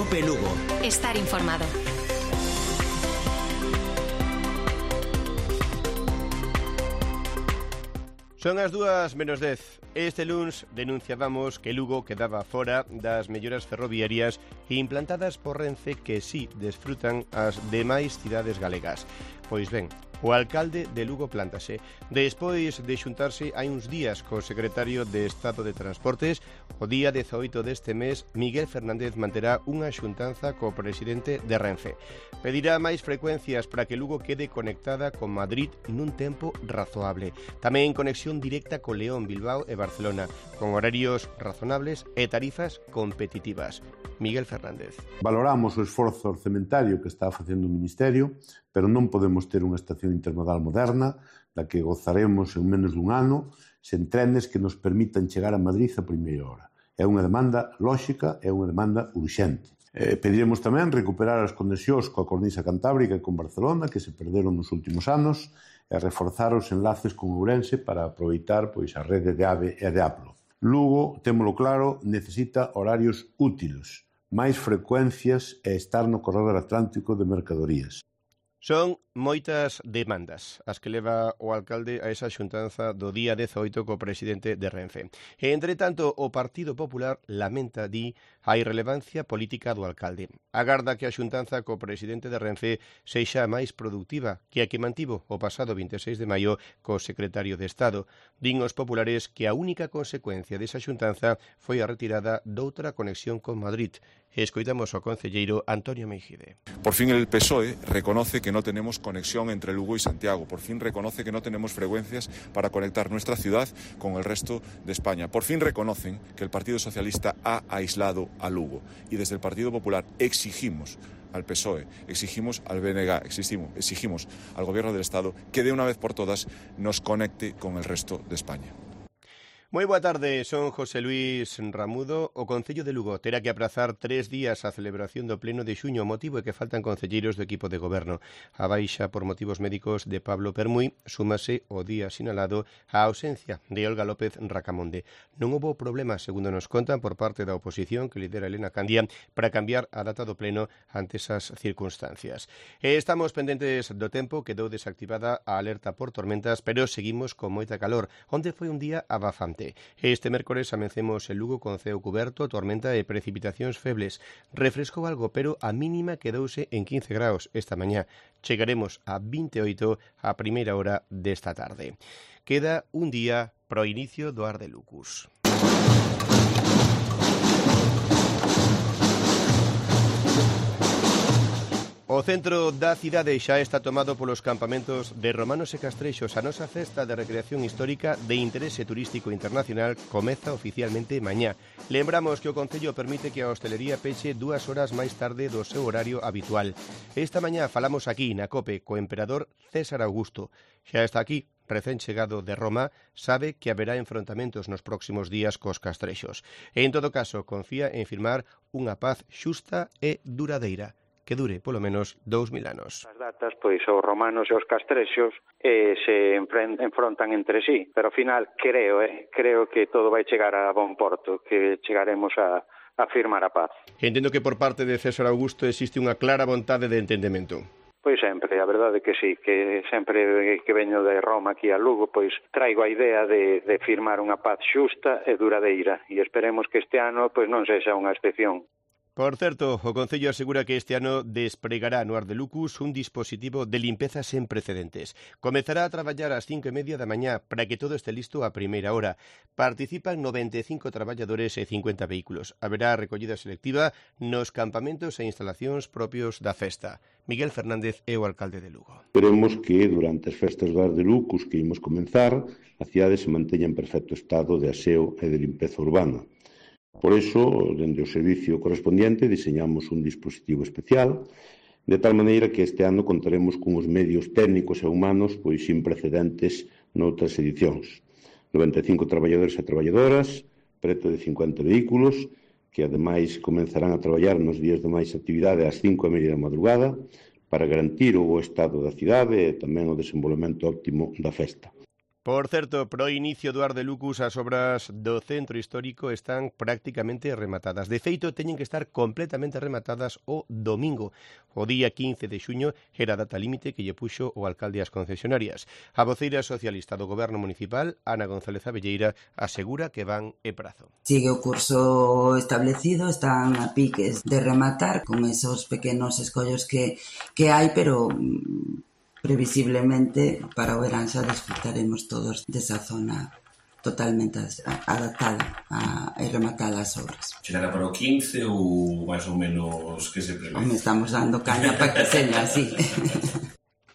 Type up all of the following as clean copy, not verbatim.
COPE Lugo. Estar informado. Son as 2:10. Este luns denunciábamos que Lugo quedaba fora das melloras ferroviarias implantadas por Renfe que sí desfrutan as demais cidades galegas. Pois ben, o alcalde de Lugo plántase. Despois de xuntarse hai uns días co secretario de Estado de Transportes, o día 18 deste mes, Miguel Fernández manterá unha xuntanza co presidente de Renfe. Pedirá máis frecuencias para que Lugo quede conectada con Madrid nun tempo razoable. Tamén conexión directa con León, Bilbao e Barcelona, con horarios razonables e tarifas competitivas. Miguel Fernández. Valoramos o esforzo orzamentario que está facendo o Ministerio, pero non podemos ter unha estación intermodal moderna da que gozaremos en menos dun ano sen trenes que nos permitan chegar a Madrid a primeira hora. É unha demanda lóxica, é unha demanda urxente. Pediremos tamén recuperar as conexións coa cornisa cantábrica e con Barcelona, que se perderon nos últimos anos, e reforzar os enlaces con Ourense para aproveitar a rede de AVE e de Aplo. Lugo, témolo claro, necesita horarios útiles, máis frecuencias e estar no corredor atlántico de mercadorías. Son moitas demandas as que leva o alcalde a esa xuntanza do día 18 co presidente de Renfe. E, entre tanto, o Partido Popular lamenta, a irrelevancia política do alcalde. Agarda que a xuntanza co presidente de Renfe sexa máis productiva que a que mantivo o pasado 26 de maio co secretario de Estado. Din os populares que a única consecuencia desa xuntanza foi a retirada doutra conexión con Madrid. Escoitamos ao concelleiro Antonio Meijide. Por fin el PSOE reconoce que no tenemos conexión entre Lugo y Santiago. Por fin reconoce que no tenemos frecuencias para conectar nuestra ciudad con el resto de España. Por fin reconocen que el Partido Socialista ha aislado a Lugo. Y desde el Partido Popular exigimos al PSOE, exigimos al BNG, exigimos al Gobierno del Estado que de una vez por todas nos conecte con el resto de España. Moi boa tarde, son José Luis Ramudo. O Concello de Lugo terá que aprazar 3 días a celebración do pleno de xuño, motivo é que faltan concelleiros do equipo de goberno. A baixa por motivos médicos de Pablo Permuy súmase o día sinalado a ausencia de Olga López Racamonde. Non houbo problema, segundo nos contan, por parte da oposición que lidera Elena Candia para cambiar a data do pleno ante esas circunstancias. Estamos pendentes do tempo, quedou desactivada a alerta por tormentas, pero seguimos con moita calor, onde foi un día abafante. Este mércores amencemos en Lugo con ceo cuberto, tormenta e precipitacións febles. Refrescou algo, pero a mínima quedouse en 15 graus esta mañá. Chegaremos a 28 a primeira hora desta tarde. Queda un día pro inicio do Ar de Lucus. O centro da cidade xa está tomado polos campamentos de romanos e castrexos. A nosa festa de recreación histórica de interese turístico internacional comeza oficialmente mañá. Lembramos que o Concello permite que a hostelería peche 2 horas máis tarde do seu horario habitual. Esta mañá falamos aquí na COPE co emperador César Augusto. Xa está aquí, recén chegado de Roma, sabe que haberá enfrontamentos nos próximos días cos castrexos. E, en todo caso, confía en firmar unha paz xusta e duradeira, que dure polo menos 2000 anos. As datas, pois, os romanos e os castrexos se enfrontan entre sí, pero ao final creo que todo vai chegar a bon porto, que chegaremos a firmar a paz. Entendo que por parte de César Augusto existe unha clara vontade de entendemento. Pois sempre, a verdade que sí, que sempre que veño de Roma aquí a Lugo, pois traigo a idea de firmar unha paz xusta e duradeira, e esperemos que este ano pois non sexa unha excepción. Por certo, o Concello asegura que este ano despregará no Ar de Lucus un dispositivo de limpeza sen precedentes. Comezará a traballar ás 5:30 da mañá para que todo este listo a primeira hora. Participan 95 traballadores e 50 vehículos. Haberá recollida selectiva nos campamentos e instalacións propios da festa. Miguel Fernández é o alcalde de Lugo. Esperemos que durante as festas do Ar de Lucus que imos comenzar, a cidade se manteña en perfecto estado de aseo e de limpeza urbana. Por iso, dende o servicio correspondiente, diseñamos un dispositivo especial, de tal maneira que este ano contaremos con os medios técnicos e humanos pois sin precedentes noutras edicións. 95 traballadores e traballadoras, preto de 50 vehículos, que ademais comenzarán a traballar nos días de máis actividade ás 5:30 da madrugada para garantir o bo estado da cidade e tamén o desenvolvemento óptimo da festa. Por certo, pro inicio do Ar de Lucus as obras do centro histórico están prácticamente rematadas. De feito, teñen que estar completamente rematadas o domingo. O día 15 de xuño era a data límite que lle puxo o alcalde ás concesionarias. A voceira socialista do Goberno Municipal, Ana González Abelleira, asegura que van e prazo. Sigue o curso establecido, están a piques de rematar con esos pequenos escollos que hai, pero previsiblemente para o verán xa disfrutaremos todos desa zona totalmente adaptada e rematada as obras. Chegará para o 15 ou máis ou menos que se prevé? Estamos dando caña para que seña así.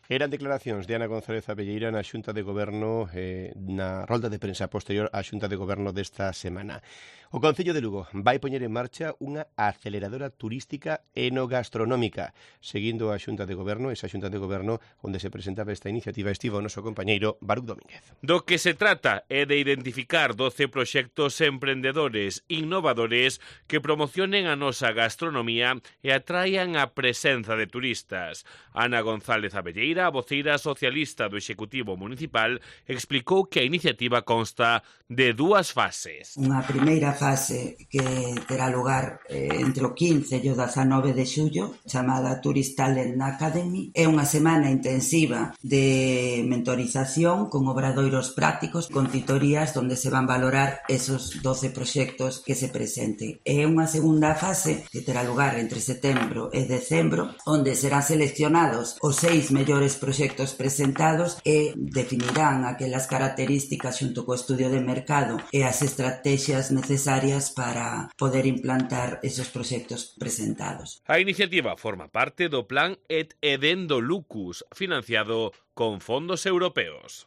Eran declaracións de Ana González Abelleira na Xunta de Goberno, na rolda de prensa posterior á Xunta de Goberno desta semana. O Concello de Lugo vai poñer en marcha unha aceleradora turística enogastronómica. Seguindo a Xunta de Goberno, esa Xunta de Goberno onde se presentaba esta iniciativa, estivo o noso compañeiro Baruc Domínguez. Do que se trata é de identificar 12 proxectos emprendedores innovadores que promocionen a nosa gastronomía e atraian a presenza de turistas. Ana González Abelleira, a voceira socialista do Executivo Municipal, explicou que a iniciativa consta de 2 fases. Unha primeira fase que terá lugar entre o 15 e o 19 de xullo, chamada Tourist Talent Academy. É unha semana intensiva de mentorización con obradoiros prácticos, con titorías onde se van valorar esos 12 proxectos que se presenten. É unha segunda fase que terá lugar entre setembro e decembro, onde serán seleccionados os 6 mellores proxectos presentados e definirán aquelas características xunto co estudio de mercado e as estrategias necesarias para poder implantar esos proxectos presentados. A iniciativa forma parte do Plan Et Edendo Lucus, financiado con fondos europeos.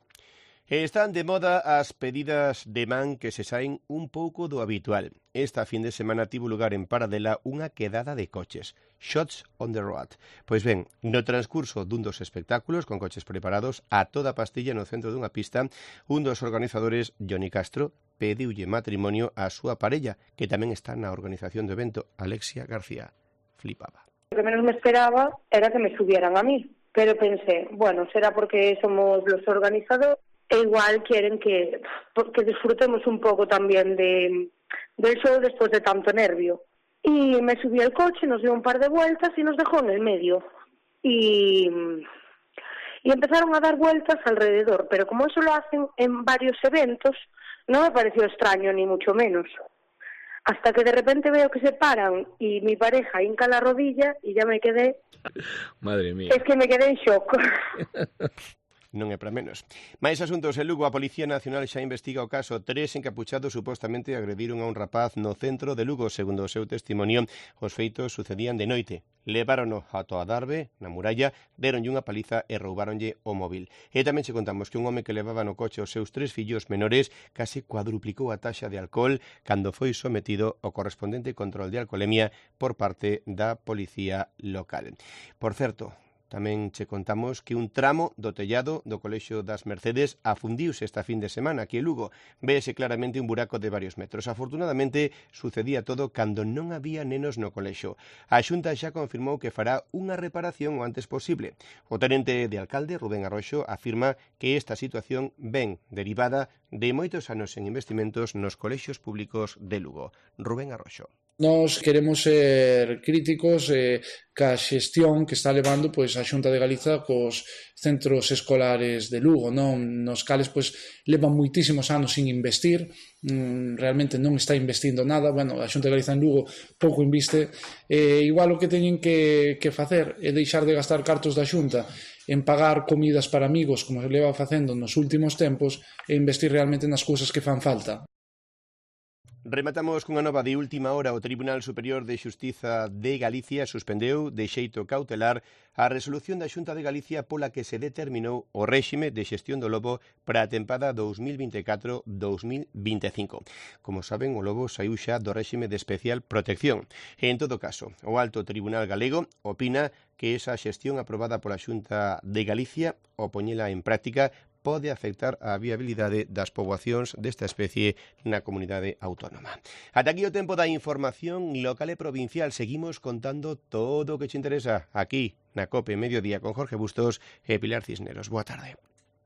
Están de moda as pedidas de man que se saen un pouco do habitual. Esta fin de semana tivo lugar en Paradela unha quedada de coches, Shots on the Road. Pois ben, no transcurso dun dos espectáculos con coches preparados a toda pastilla no centro dunha pista, un dos organizadores, Johnny Castro, pediulle matrimonio á súa parella, que tamén está na organización do evento, Alexia García. Flipaba. Lo que menos me esperaba era que me subieran a mí, pero pensé, bueno, será porque somos los organizadores, e igual quieren que disfrutemos un poco también del show después de tanto nervio. Y me subí al coche, nos dio un par de vueltas y nos dejó en el medio. Y empezaron a dar vueltas alrededor, pero como eso lo hacen en varios eventos, no me pareció extraño ni mucho menos. Hasta que de repente veo que se paran y mi pareja hinca la rodilla y ya me quedé... Madre mía. Es que me quedé en shock. Non é para menos. Mais asuntos en Lugo, a Policía Nacional xa investiga o caso. 3 encapuchados supostamente agrediron a un rapaz no centro de Lugo. Segundo o seu testimonio, os feitos sucedían de noite. Levárono ata a Darbe, na muralla, deronlle unha paliza e roubáronlle o móvil. E tamén che contamos que un home que levaba no coche os seus 3 fillos menores case cuadruplicou a taxa de alcohol cando foi sometido ao correspondente control de alcolemia por parte da Policía Local. Por certo, tamén che contamos que un tramo do tellado do Colexio das Mercedes afundiuse esta fin de semana aquí en Lugo. Véese claramente un buraco de varios metros. Afortunadamente, sucedía todo cando non había nenos no colexio. A Xunta xa confirmou que fará unha reparación o antes posible. O tenente de alcalde, Rubén Arroxo, afirma que esta situación ven derivada de moitos anos en investimentos nos colexios públicos de Lugo. Rubén Arroxo. Nós queremos ser críticos ca xestión que está levando pois a Xunta de Galiza cos centros escolares de Lugo, non? Nos cales pois levan moitísimos anos sin investir, realmente non está investindo nada. Bueno, a Xunta de Galiza en Lugo pouco inviste, igual o que teñen que facer é deixar de gastar cartos da Xunta en pagar comidas para amigos como se leva facendo nos últimos tempos e investir realmente nas cousas que fan falta. Rematamos cunha nova de última hora. O Tribunal Superior de Xustiza de Galicia suspendeu de xeito cautelar a resolución da Xunta de Galicia pola que se determinou o réxime de xestión do lobo para a tempada 2024-2025. Como saben, o lobo saiu xa do réxime de especial protección. E, en todo caso, o Alto Tribunal Galego opina que esa xestión aprobada pola Xunta de Galicia, ao poñela en práctica, pode afectar a viabilidade das poboacións desta especie na comunidade autónoma. Ata aquí o tempo da información local e provincial. Seguimos contando todo o que te interesa aquí na COPE Mediodía con Jorge Bustos e Pilar Cisneros. Boa tarde.